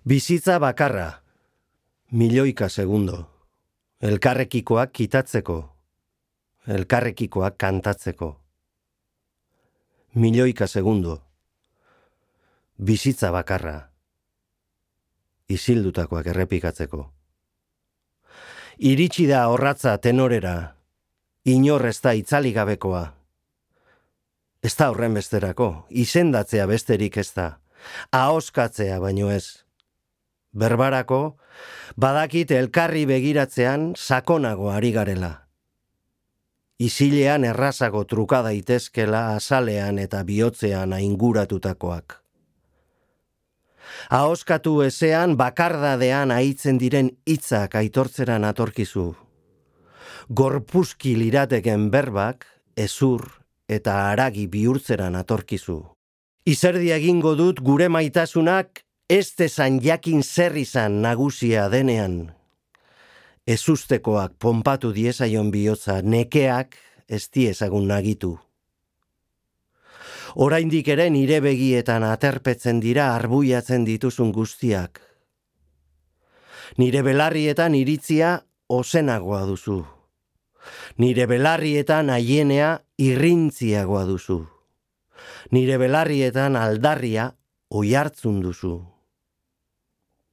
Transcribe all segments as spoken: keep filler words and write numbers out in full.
Bizitza bakarra, milioika segundo, elkarrekikoak kitatzeko, elkarrekikoak kantatzeko. Milioika segundo, bizitza bakarra, isildutakoak errepikatzeko. Iritsi da orratza tenorera, inor ez da itzali gabekoa. Ez da horren besterako, izendatzea besterik ez da, ahoskatzea baino ez. Berbarako, badakit elkarri begiratzean sakonago ari garela. Isilean errazago truka daitezkela azalean eta bihotzean ainguratutakoak. Ahoskatu ezean bakardadean aitzen diren hitzak aitortzeran atorkizu. Gorpuzki lirateken berbak, ezur eta haragi bihurtzeran atorkizu. Izerdi egingo dut gure maitasunak ez dezan jakin zer izan nagusia denean. Ezustekoak ponpatu diezaion bihotza, nekeak ez diezagun nagitu. Oraindik ere nire begietan aterpetzen dira arbuiatzen dituzun guztiak. Nire belarrietan iritzia ozenagoa duzu. Nire belarrietan aienea irrintziagoa duzu. Nire belarrietan aldarria oihartzun duzu.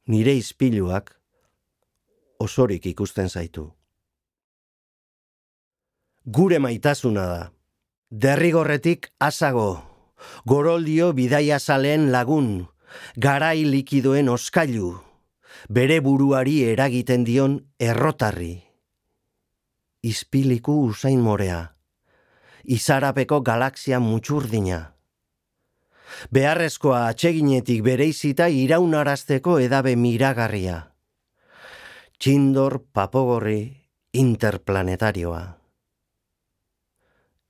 Nire ispiluak osorik ikusten zaitu. Gure maitasuna da. Derrigorretik asago, goroldio bidaiazaleen lagun, garai likidoen oskailu, bere buruari eragiten dion errotarri. Ispiliku usain morea, izarapeko galaxia mutxurdina. Beharrezkoa atseginetik bereizita iraunarazteko edabe miragarria. Txindor papogorri interplanetarioa.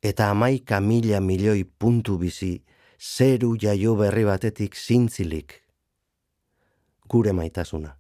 Eta hamaika mila milioi puntu bizi zeru jaio berri batetik zintzilik. Gure maitasuna.